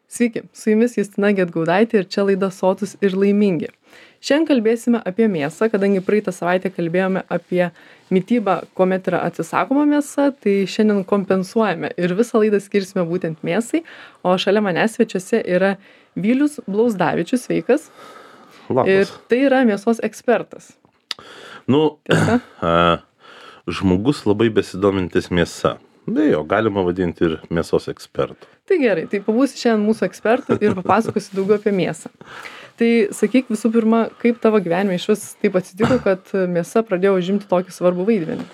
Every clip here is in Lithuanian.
Sveiki, su jumis Justina Gedgaudaitė ir čia laida Sotūs ir laimingi. Šiandien kalbėsime apie mėsą, kadangi praeitą savaitę kalbėjome apie mitybą, kuomet yra atsisakoma mėsa, tai šiandien kompensuojame ir visą laidą skirsime būtent mėsai, o šalia manęs svečiuose yra Vylius Blauzdavičius, sveikas. Labas. Ir tai yra mėsos ekspertas. Tiesa? Žmogus labai besidomintis mėsa. Be jo, galima vadinti ir mėsos ekspertų. Tai gerai, tai pabūsi šiandien mūsų ekspertų ir papasakosi daugiau apie mėsą. Tai sakyk visų pirma, kaip tavo gyvenime iš vis taip atsitiko, kad mėsa pradėjo užimti tokį svarbų vaidmenį?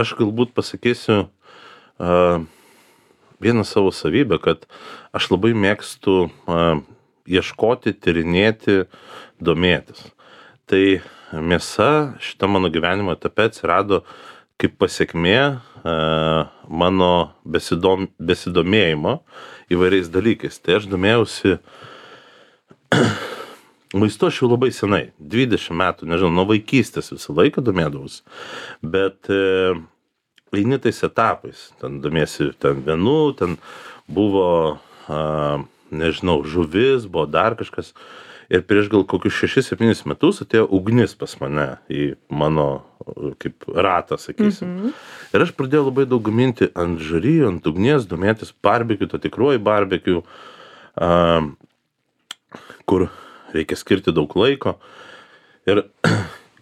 Aš galbūt pasakysiu vieną savo savybę, kad aš labai mėgstu ieškoti, tyrinėti, domėtis. Tai mėsa šitą mano gyvenimo etape atsirado kaip pasiekmė mano besidomėjimo įvairiais dalykais. Tai aš domėjausi maistu aš jau labai senai, 20 metų, nežinau, nuo vaikystės visą laiką domėdavausi, bet eini tais etapais, ten domiesi vienu, ten buvo, nežinau, žuvis, buvo dar kažkas. Ir prieš gal kokius 6-7 metus atėjo ugnis pas mane į mano kaip ratą, sakysim. Ir aš pradėjau labai daug gaminti ant žarijų, ant ugnies, domėtis barbekiu, to tikruoju barbekiu, kur reikia skirti daug laiko. Ir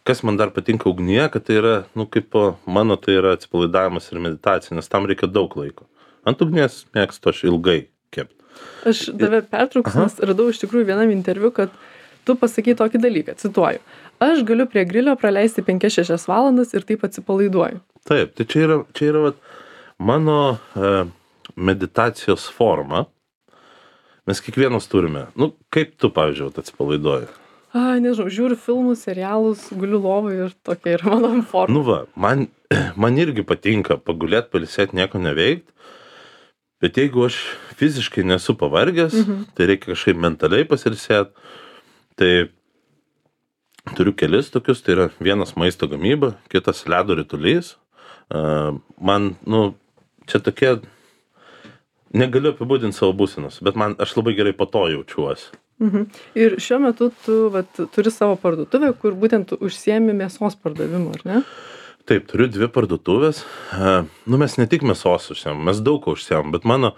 kas man dar patinka ugnyje, kad tai yra, kaip mano tai yra atsipalaidavimas ir meditacija, nes tam reikia daug laiko. Ant ugnies mėgstu aš ilgai kept. Aš tave pertrauksiu, nes radau iš tikrųjų vienam interviu, kad tu pasakai tokį dalyką, cituoju. Aš galiu prie grilio praleisti 5-6 valandas ir taip atsipalaiduoju. Taip, tai čia yra vat, mano meditacijos forma. Mes kiekvienas turime. Kaip tu, pavyzdžiui, atsipalaiduoji? Nežinau, žiūriu filmus, serialus, guliu lovai ir tokia yra mano forma. Man irgi patinka pagulėti, pailsėti, nieko neveikti. Bet jeigu aš fiziškai nesu pavargęs, tai reikia kažkaip mentaliai pasiilsėti. Tai turiu kelis tokius, tai yra vienas maisto gamyba, kitas ledo ritulys. Man, čia tokie, negaliu apibūdinti savo būsenos, bet aš labai gerai po to jaučiuosi. Ir šiuo metu tu turi savo parduotuvę, kur būtent užsiemi mėsos pardavimu, ar ne? Taip, turiu 2 parduotuvės. Mes ne tik mėsos užsiemam, mes daug ko užsiemam, bet mano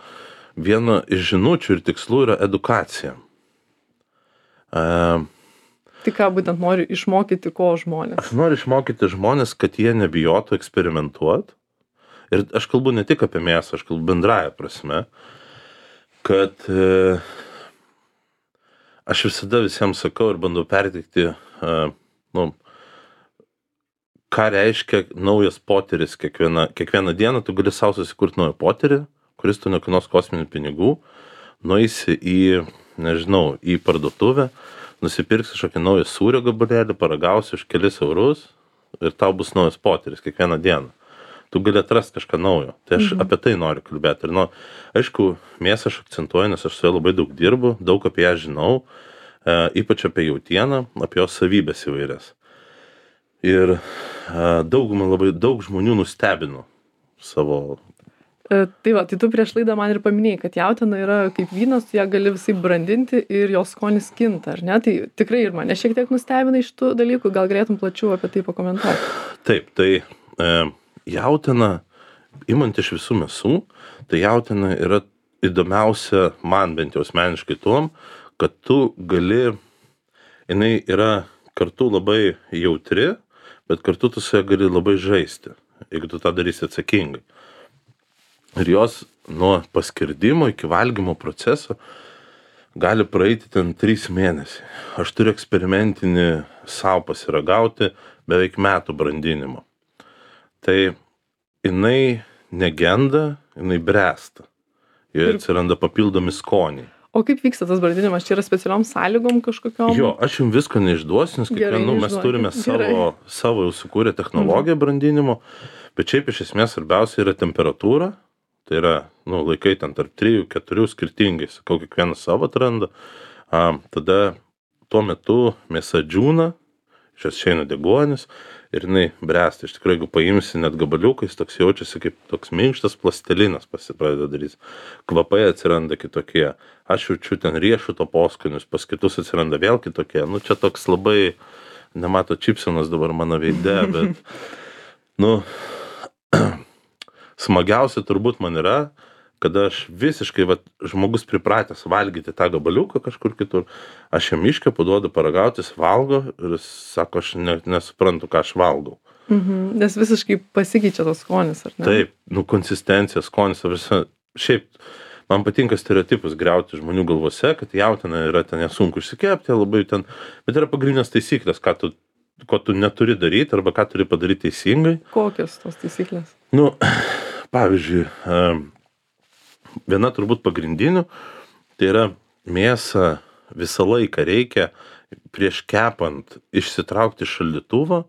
viena iš žinučių ir tikslų yra edukacija. Tai ką būtent nori išmokyti ko žmonės? Aš noriu išmokyti žmonės, kad jie nebijotų eksperimentuoti. Ir aš kalbu ne tik apie mėsą, aš kalbu bendraja prasme, kad aš visada visiems sakau ir bandau perteikti, ką reiškia naujas potyris kiekvieną dieną, tu gali savo susikurti naują potyrį, kuris tu nekainuos kosminių pinigų, nueisi į parduotuvę, nusipirksi kažkokį naują sūrio gabalėlį, paragausi už kelis eurus ir tau bus naujas potyris kiekvieną dieną. Tu gali atrasti kažką naujo. Tai aš apie tai noriu kalbėti. Ir aišku, mėsą aš akcentuoju, nes aš su ja labai daug dirbu, daug apie ją žinau, ypač apie jautieną, apie jos savybės įvairias. Ir labai daug žmonių nustebino savo. Tai tu prieš laidą man ir paminėjai, kad jautiena yra kaip vynas, tu ją gali visai brandinti ir jos skonis kinta, ar ne? Tai tikrai ir mane šiek tiek nustebina iš tų dalykų, gal galėtum plačiau apie tai pakomentuoti. Taip, tai jautiena, imant iš visų mėsų, tai jautiena yra įdomiausia man bent jau asmeniškai tuom, kad jinai yra kartu labai jautri, bet kartu tu su ja gali labai žaisti, jeigu tu tą darysi atsakingai. Ir jos nuo paskirdimo iki valgymo proceso gali praeiti ten 3 mėnesiai. Aš turiu eksperimentinį savo pasiragauti beveik metų brandinimo. Tai jinai negenda, jinai bręsta. Joje atsiranda papildomi skoniai. O kaip vyksta tas brandinimas? Čia yra specialiom sąlygom kažkokiom? Jo, aš jums visko neišduosiu, nes mes turime savo jau sukūrę technologiją brandinimo, bet šiaip iš esmės svarbiausia yra temperatūra, tai yra, laikai ten tarp 3-4 skirtingai, sakau, kiekvienas savo atranda, tada tuo metu mėsa džiūna, iš jos išeina deguonis ir jinai bręsta. Iš tikrųjų, jeigu paimsi net gabaliukais, toks jaučiasi kaip toks minkštas plastilinas pradeda daryti. Kvapai atsiranda kitokie. Aš jaučiu ten riešuto poskonius, pas kitus atsiranda vėl kitokie. Nu, čia toks labai, nemato čipsenas dabar mano veide, bet, nu, smagiausia turbūt man yra, kada aš visiškai, žmogus pripratęs valgyti tą gabaliuką kažkur kitur, aš jam iškepu, duodu paragauti, jis valgo ir jis sako, aš nesuprantu, ką aš valgau. Nes visiškai pasikeičia tas skonis, ar ne? Taip, nu, konsistencija, skonis, šiaip, man patinka stereotipus griauti žmonių galvose, kad jautiena yra ten nesunku išsikepti, labai ten, bet yra pagrindinės taisyklės, ko tu neturi daryti arba ką turi padaryti teisingai. Kokios tos taisyklės? Nu, pavyzdžiui, viena turbūt pagrindinių, tai yra mėsą visą laiką reikia prieš kepant išsitraukti iš šaldytuvo,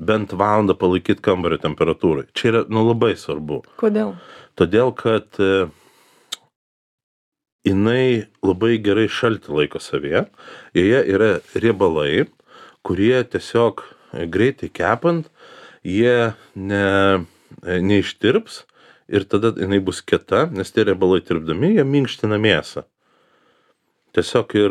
bent valandą palaikyti kambario temperatūrai. Čia yra, nu, labai svarbu. Kodėl? Todėl, kad jinai labai gerai šaltį laiko savyje, joje yra riebalai, kurie tiesiog greitai kepant, jie neištirps ir tada jinai bus kieta, nes tie riebalai tirpdami, jie minkština mėsą. Tiesiog ir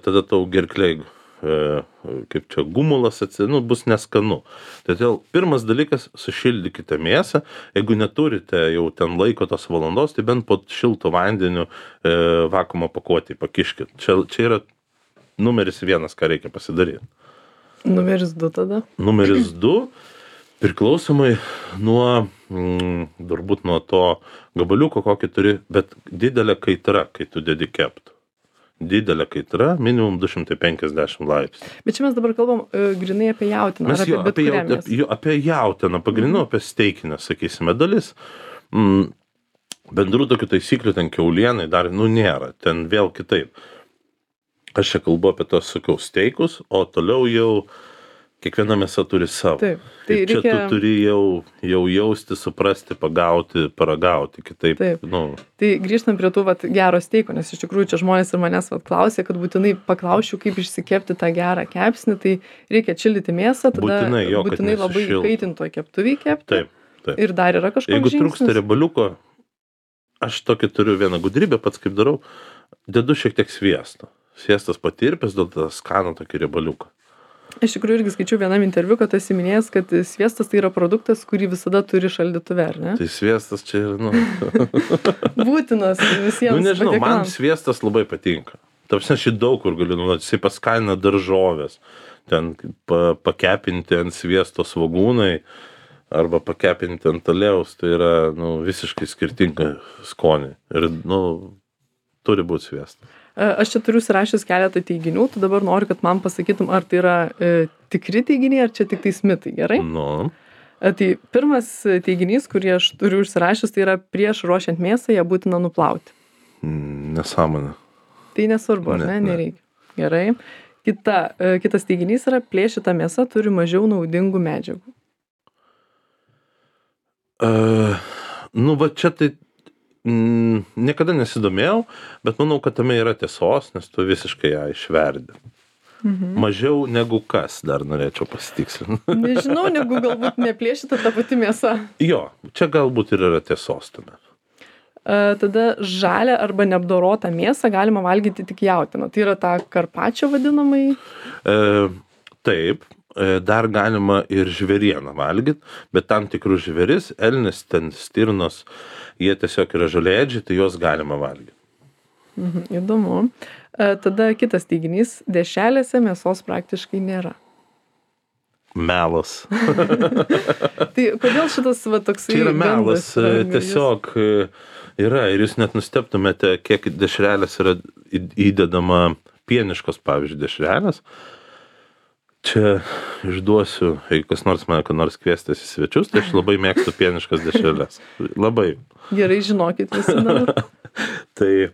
tada tau gerklei, kaip čia, gumulas bus neskanu. Todėl pirmas dalykas, sušildykite mėsą, jeigu neturite jau ten laiko tos valandos, tai bent po šilto vandeniu vakuumo pakuotį pakiškit. Čia yra numeris 1, ką reikia pasidaryti. Numeris 2 tada? Numeris 2, priklausomai nuo, turbūt nuo to gabaliuko, kokį turi, bet didelė kaitra, kai tu dedi kept. Didelė kaitra, minimum 250 laipsnių. Bet čia mes dabar kalbam grinai apie jautieną. Mes apie jautieną, pagrindinu apie steikinę, sakysime, dalis. Bendrų tokių taisyklių ten kiaulienai dar, nėra, ten vėl kitaip. Aš čia kalbu apie tos, sakau, steikus, o toliau jau kiekviena mėsa turi savo. Taip. Tai čia tu turi jau jausti, suprasti, pagauti, paragauti, kitaip. Taip. Tai grįžtam prie tų gero steiko, nes iš tikrųjų čia žmonės ir manęs klausė, kad būtinai paklausčiau, kaip išsikepti tą gerą kepsnį, tai reikia čildyti mėsą, tada būtinai labai įkaitintoj keptuvėj kepti. Taip. Ir dar yra kažkoks žingsnis. Jeigu trūksta riebaliuko, aš tokį turiu vieną gudrybę, pats kaip darau, dedu šiek tiek sviesto. Sviestas patirpęs, duoda skanų tokį riebaliuką. Iš tikrųjų irgi skaičiau vienam interviu, kad esi minėjęs, kad sviestas tai yra produktas, kurį visada turi šaldytuve, ar ne? Tai sviestas čia yra, būtinas visiems. Nežinau, man sviestas labai patinka. Tarpsne, aš daug kur galiu naudoti, jisai paskalina daržovės, ten pakepinti ant sviesto svogūnai, arba pakepinti ant aliejaus, tai yra, visiškai skirtinga skonį. Ir, turi būti sviestas. Aš čia turiu surašęs keletą teiginių, tu dabar noriu, kad man pasakytum, ar tai yra tikri teiginiai, ar čia tik tais mitai, gerai? Tai pirmas teiginys, kurį aš turiu užsirašęs, tai yra prieš ruošiant mėsą ją būtina nuplauti. Nesąmonė. Tai nesvarbu, ar ne? Nereikia. Gerai. Kitas teiginys yra plėšyta mėsa turi mažiau naudingų medžiagų. Čia tai niekada nesidomėjau, bet manau, kad tame yra tiesos, nes tu visiškai ją išverdi. Mažiau negu kas, dar norėčiau pasitikslinti. Nežinau, negu galbūt neplėšyta ta pati mėsa. Jo, čia galbūt ir yra tiesos tame. Tada žalią arba neapdorotą mėsą galima valgyti tik jautieną. Tai yra ta karpačio vadinamai? Taip. Dar galima ir žvėrieną valgyti, bet tam tikrus žvėris, elnis, ten stirnos, jie tiesiog yra žolėdžiai, tai juos galima valgyti. Įdomu. Tada kitas teiginys, dešrelėse mėsos praktiškai nėra. Melas. Tai kodėl šitas toksai... Tai yra melas, tiesiog yra, ir jūs net nustebtumėte, kiek dešrelės yra įdedama pieniškos, pavyzdžiui, dešrelės. Čia išduosiu, jeigu kas nors mane, kad nors kviestis į svečius, tai aš labai mėgstu pieniškas dešreles. Labai. Gerai, žinokit visi dabar. Tai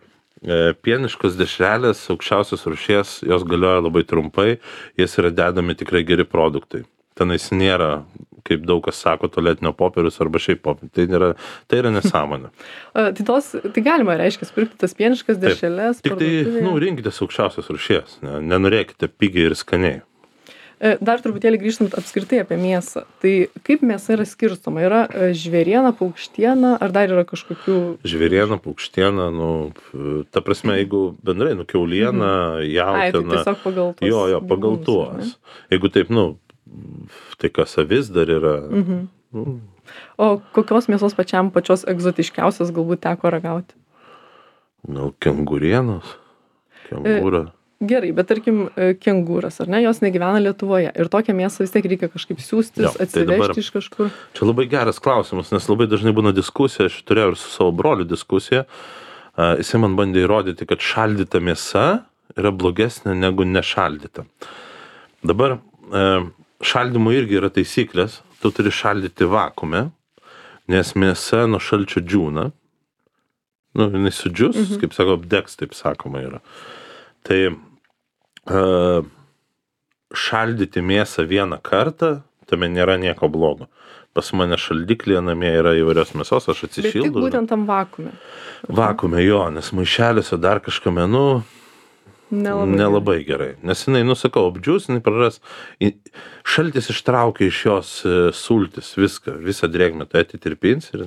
pieniškos dešrelės, aukščiausios rūšies, jos galioja labai trumpai, jas yra dedami tikrai geri produktai. Tenais nėra, kaip daug kas sako, tualetinio popierius arba šiaip popierius. Tai yra nesąmonė. Tai galima, reiškia, pirkti tas pieniškas dešreles. Tik tai, rinkitės aukščiausios rūšies, nenorėkite pigiai ir skaniai. Dar truputėlį grįžtant apskritai apie mėsą. Tai kaip mėsa yra skirstoma? Yra žvėriena, paukštiena, ar dar yra kažkokių... Žvėriena, paukštiena, ta prasme, jeigu bendrai, kiauliena, Ai, tai jautiena. tiesiog pagal tuos Jo, pagal gyvūnus, tuos. Jeigu taip, tai kas avis dar yra. O kokios mėsos pačios egzotiškiausios galbūt teko ragauti? Kengurienos. Kengūra. Gerai, bet tarkim kengūras, ar ne, jos negyvena Lietuvoje ir tokią mėsą vis tiek reikia kažkaip siųstis, atsivežti iš kažkur. Čia labai geras klausimas, nes labai dažnai būna diskusija, aš turėjau ir su savo broliu diskusiją, jisai man bandė įrodyti, kad šaldyta mėsa yra blogesnė negu nešaldyta. Dabar šaldymui irgi yra taisyklės, tu turi šaldyti vakuume, nes mėsa nuo šalčio džiūna, jinai sudžius, kaip sako, apdegs, taip sakoma yra. Tai šaldyti mėsą vieną kartą, tame nėra nieko blogo. Pas mane šaldiklyje namie yra įvairios mėsos, aš atsišildau. Bet tik būtent tam vakuume. Vakuume, jo, nes maišeliuose dar kažkame, nelabai gerai. Nes jinai, sakau, apdžiūs, jinai praras, šaltis ištraukia iš jos sultis, visą drėgmę, tai atitirpins ir,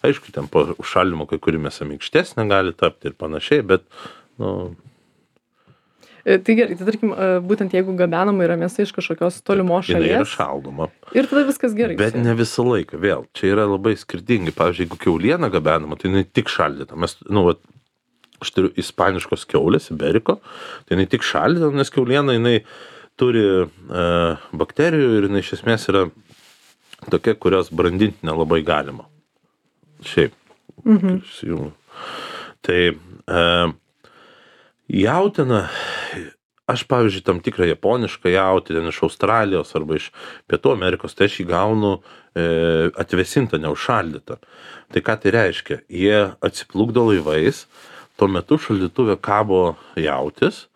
aišku, ten po šaldymo kai kuri mėsa minkštesnė gali tapti ir panašiai, bet, Tai gerai, tai tarkim, būtent jeigu gabenama yra mėsa iš kažkokios tolimos šalies. Jinai yra šaldoma. Ir tada viskas gerai. Bet ne visą laiką, vėl. Čia yra labai skirtingai. Pavyzdžiui, jeigu kiauliena gabenama, tai jinai tik šaldyta. Aš turiu ispaniškos kiaulės, iberiko, tai jinai tik šaldyta, nes kiauliena jinai turi bakterijų ir jinai iš esmės yra tokia, kurios brandinti nelabai galima. Šiaip. Tai jautiena, aš pavyzdžiui tam tikrą japonišką jautieną iš Australijos arba iš Pietų Amerikos, tai aš jį gaunu atvėsintą, neužšaldytą. Tai ką tai reiškia? Jie atsiplukdo laivais, tuo metu šaldytuve kabo jautis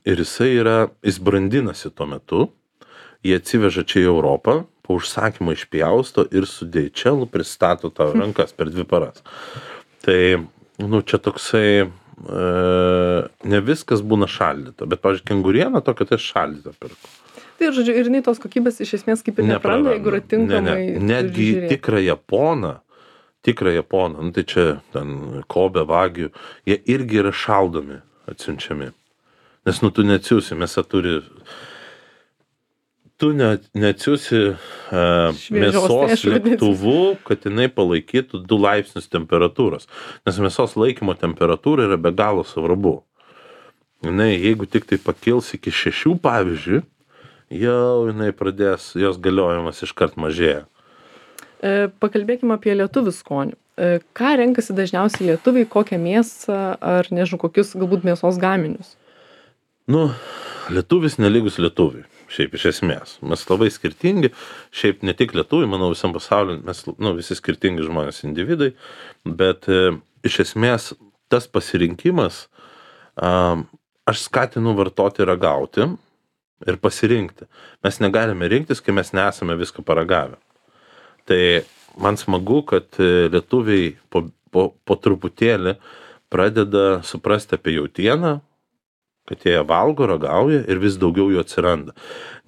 ir jis brandinasi tuo metu, jie atsiveža čia į Europą, po užsakymą išpjausto ir su DHL pristato tavo rankas per 2 paras. Tai, čia toksai ne viskas būna šaldyta, bet, pavyzdžiui, kenguriena tokia tai šaldyta pirku. Tai, žodžiu, ir jinai tos kokybės iš esmės kaip ir nepraranda, jeigu yra tinkamai. Netgi tikrą japoną, tai čia ten Kobe, Wagyu, jie irgi yra šaldomi, atsiunčiami. Nes, tu neatsiųsi, mėsa turi... Tu neatsiųsi mėsos lėktuvu, kad jinai palaikytų 2 laipsnius temperatūros. Nes mėsos laikymo temperatūra yra be galo svarbu. Jeigu tik tai pakils iki 6, pavyzdžiui, jau jinai pradės, jos galiojimas iškart mažėja. Pakalbėkime apie lietuvių skonių. Ką renkasi dažniausiai lietuviai, kokią mėsą ar, nežinau, kokius galbūt mėsos gaminius? Lietuvis nelygus lietuviui. Šiaip iš esmės. Mes labai skirtingi, šiaip ne tik lietuviai, manau visam pasauliu, mes visi skirtingi žmonės, individai, bet iš esmės tas pasirinkimas, aš skatinu vartoti ragauti ir pasirinkti. Mes negalime rinktis, kai mes nesame viską paragavę. Tai man smagu, kad lietuviai po truputėlį pradeda suprasti apie jautieną, kad jie valgo, ragauja ir vis daugiau jų atsiranda.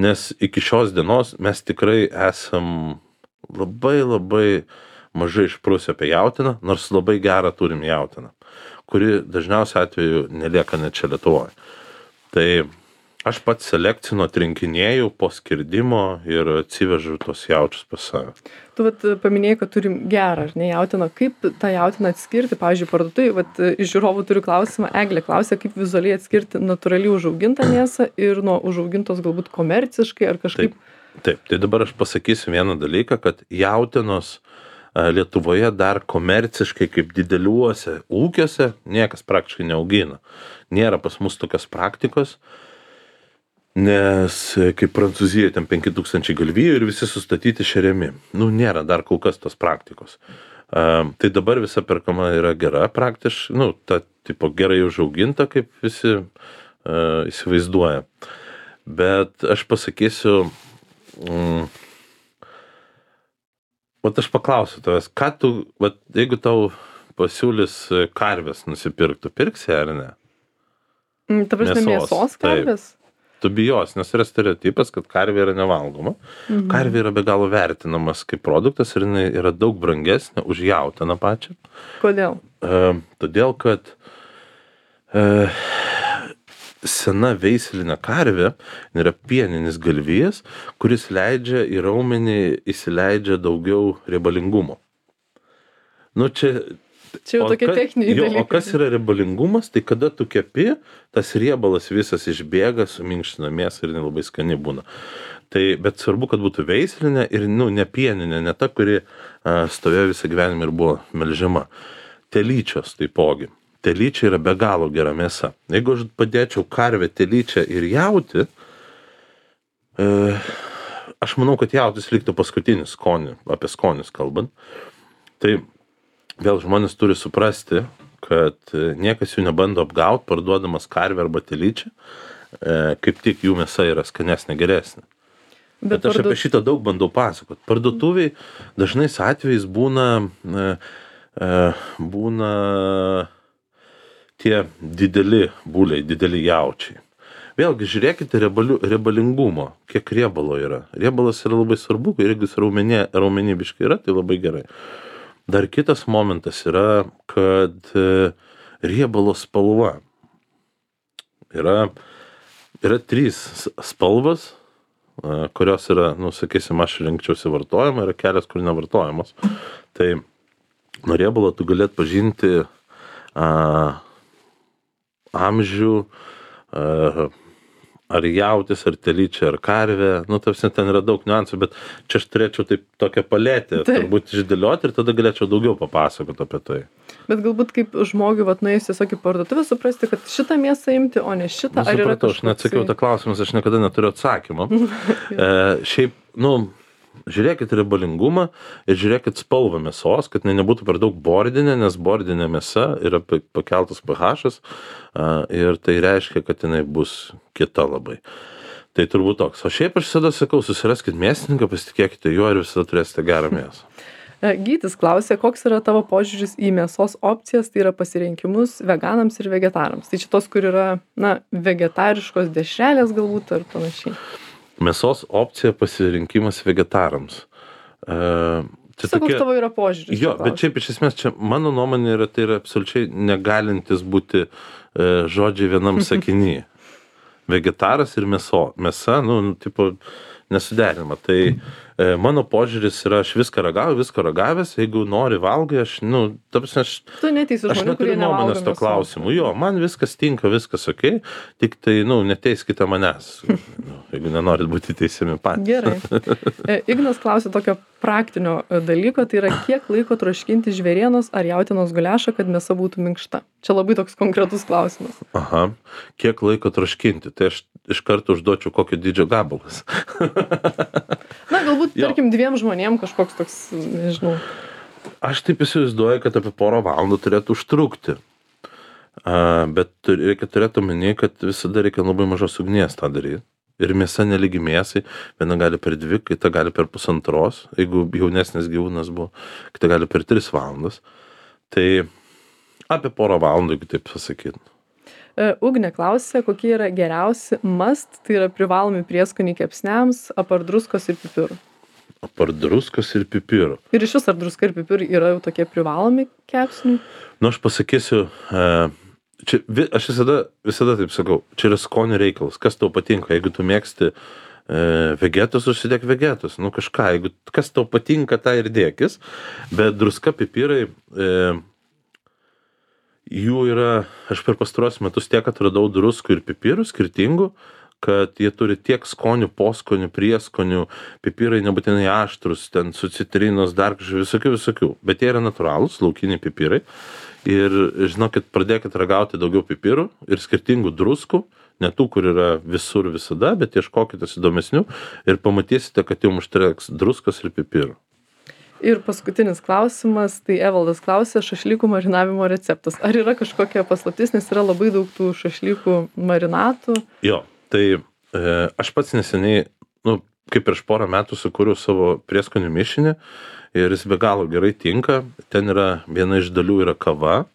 Nes iki šios dienos mes tikrai esam labai mažai išprusę apie jautieną, nors labai gerą turim jautieną, kuri dažniausiai atveju nelieka net čia Lietuvoje. Tai aš pats selekcinu, atrinkinėju po skirdimo ir atsivežu tos jaučius pas save. Tu paminėjai, kad turim gerą, ar ne, jautieną. Kaip tą jautieną atskirti? Pavyzdžiui, parduotuvėj, iš žiūrovų turiu klausimą, Eglė klausia, kaip vizualiai atskirti natūraliai užaugintą mėsą ir nuo užaugintos galbūt komerciškai ar kažkaip. Taip, tai dabar aš pasakysiu vieną dalyką, kad jautienos Lietuvoje dar komerciškai kaip dideliuose ūkiuose niekas praktiškai neaugina. Nėra pas mus tokios praktikos. Nes kaip Prancūzijoje ten 5000 galvijų ir visi sustatyti šeriami. Nėra dar kol kas tos praktikos. Tai dabar visa perkama yra gera praktiškai, ta tipo gerai užauginta, kaip visi įsivaizduoja. Bet aš pasakysiu, aš paklausiu tavęs, ką tu, jeigu tau pasiūlys karvės nusipirktų, pirksi ar ne? Ta prasme, mėsos karvės? tu bijos, nes yra stereotipas, kad karvė yra nevalgoma. Karvė yra be galo vertinamas kaip produktas ir jinai yra daug brangesnė už jautieną pačią. Kodėl? Todėl, kad sena veislinė karvė yra pieninis galvijas, kuris leidžia į raumenį įsileidžia daugiau riebalingumo. Nu, čia jau tokie techniniai dalykai. O kas yra riebalingumas, tai kada tu kepi, tas riebalas visas išbėga, suminkština mėsą ir labai skani būna. Tai, bet svarbu, kad būtų veislinė ir ne pieninė, ne ta, kuri stovėjo visą gyvenimą ir buvo melžiama. Telyčios taipogi. Telyčia yra be galo gera mėsa. Jeigu aš padėčiau karvę, telyčią ir jautį, aš manau, kad jautis liktų paskutinis skonį, apie skonius kalbant. Tai vėl žmonės turi suprasti, kad niekas jų nebando apgauti, parduodamas karvę arba telyčią, kaip tik jų mėsa yra skanesnė, geresnė. Bet aš apie šitą daug bandau pasakot. Parduotuviai dažnais atvejais būna tie dideli buliai, dideli jaučiai. Vėlgi, žiūrėkite riebalingumo, kiek riebalo yra. Riebalas yra labai svarbu, ir jeigu jis raumenibiškai yra, tai labai gerai. Dar kitas momentas yra, kad riebalo spalva. Yra 3 spalvas, kurios yra, sakysim, aš rinkčiausi vartojimą, yra kelias, kur nevartojamos. Tai nuo riebalo tu galėt pažinti amžių, ar jautis, ar telyčia, ar karvė. Ten yra daug niuansų, bet čia aš turėčiau tokią paletę turbūt išdėlioti ir tada galėčiau daugiau papasakoti apie tai. Bet galbūt kaip žmogui, nuėjus tiesiog į parduotuvę, suprasti, kad šitą mėsą imti, o ne šitą, ar yra kažkoks... Aš neatsakiau tą klausimą, aš niekada neturiu atsakymą. Šiaip, žiūrėkit riebalingumą ir žiūrėkit spalvą mėsos, kad nebūtų per daug bordinė, nes bordinė mėsa yra pakeltas pH-as ir tai reiškia, kad jinai bus kieta labai. Tai turbūt toks. O šiaip aš visada sakau, susiraskit mėsininką, pasitikėkite juo ir visada turėsite gerą mėsą. Gytis klausė, koks yra tavo požiūris į mėsos opcijas, tai yra pasirinkimus veganams ir vegetarams. Tai šitos, kur yra, vegetariškos dešrelės galbūt ar panašiai. Mėsos opcija pasirinkimas vegetarams. Koks tavo yra požiūris? Jo, bet šiaip iš esmės čia mano nuomonė yra, tai yra absoliučiai negalintis būti žodžiai vienam sakiny. Vegetaras ir mėsa, nesuderinama. Tai mano požiūris yra, aš viską ragavęs, jeigu nori valgai, aš neturiu nuomonės to klausimu. Jo, man viskas tinka, viskas okei, tik tai, neteiskite manęs, jeigu nenorit būti teisiami patys. Gerai. Ignas klausė tokio praktinio dalyko, tai yra kiek laiko troškinti žvėrienos ar jautienos guliašą, kad mėsa būtų minkšta. Čia labai toks konkretus klausimas. Aha, kiek laiko troškinti, tai aš iš karto užduočiau kokio dydžio gabalas. Galbūt, tarkim, 2 žmonėm kažkoks toks, nežinau. Aš taip įsivaizduoju, kad apie porą valandų turėtų užtrukti. Bet reikia turėti omeny, kad visada reikia labai mažos ugnies tą daryti. Ir mėsa nelygi mėsai, viena gali per 2, kita gali per 1,5, jeigu jaunesnis gyvūnas buvo, kita gali per 3 valandas. Tai apie porą valandų, jeigu taip pasakyti. Ugnė klausė, kokie yra geriausi must, tai yra privalomi prieskoniai kepsniams, apart druskos ir pipirų. Apart druskos ir pipirų. Ir iš vis ar druska ir pipirai yra jau tokie privalomi kepsniai? Aš pasakysiu, aš visada taip sakau, čia yra skonio reikalas, kas tau patinka, jeigu tu mėgsti vegetus, užsidėk vegetus, kažką, jeigu kas tau patinka, tą ir dėkis, bet druska, pipirai, jų yra, aš per pastaruosius metus tiek atradau druskų ir pipirų skirtingų, kad jie turi tiek skonių, poskonių, prieskonių, pipirai nebūtinai aštrus, ten su citrinos, dar visokių, bet jie yra natūralūs, laukiniai pipirai. Ir žinokit, pradėkit ragauti daugiau pipirų ir skirtingų druskų, ne tų, kur yra visur visada, bet ieškokite įdomesnių ir pamatysite, kad jums užteks druskos ir pipirų. Ir paskutinis klausimas, tai Evaldas klausė, šašlykų marinavimo receptas. Ar yra kažkokia paslaptis, nes yra labai daug tų šašlykų marinatų? Jo, tai aš pats neseniai, kaip prieš porą metų sukūriau savo prieskonių mišinį ir jis be galo gerai tinka. Ten yra viena iš dalių yra kava,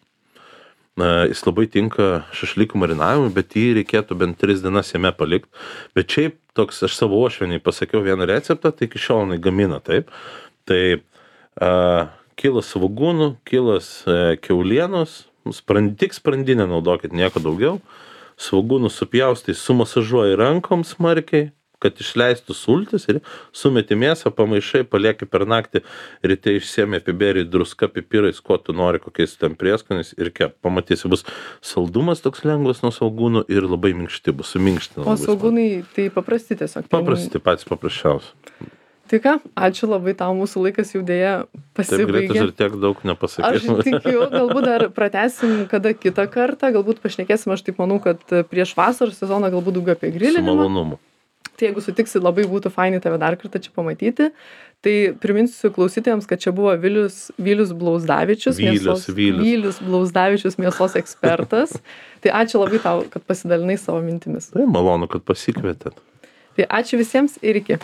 Jis labai tinka šašlykų marinavimui, bet jį reikėtų bent 3 dienas jame palikti. Bet šiaip toks, aš savo uošvieniai pasakiau vieną receptą, tai iki šiol jinai gamina taip. Tai kilas svogūnų, kilas kiaulienos, tik sprandinę naudokit, nieko daugiau. Svogūnų supjaustai, sumasažuoji rankom smarkiai, kad išleistų sultis ir sumeti mėsą, pamaišai, palieki per naktį, ryte išsiemi, apibėri druska, pipirais, ko tu nori, kokiais ten prieskonis ir kep. Pamatysi, bus saldumas toks lengvas nuo svogūnų ir labai minkšti, bus suminkština. O svogūnai tai paprasti tiesiog. Paprasti, patys paprasčiausi. Tai ką, ačiū labai, tau mūsų laikas jau dėja pasibaigė. Taip greitai ir tiek daug nepasakysim. Aš tikiu, galbūt dar pratęsim kada kitą kartą, galbūt pašnekėsim, aš taip manau, kad prieš vasaros sezoną galbūt daugiau apie grilinimą. Su malonumu. Tai jeigu sutiksi, labai būtų fainai tave dar kartą čia pamatyti. Tai priminsiu klausytojams, kad čia buvo Vilius Blauzdavičius, Vilius Blauzdavičius, mėsos ekspertas. Tai ačiū labai tau, kad pasidalinai savo mintimis. Tai malonu, kad pasikvietėt. Tai ačiū visiems ir iki.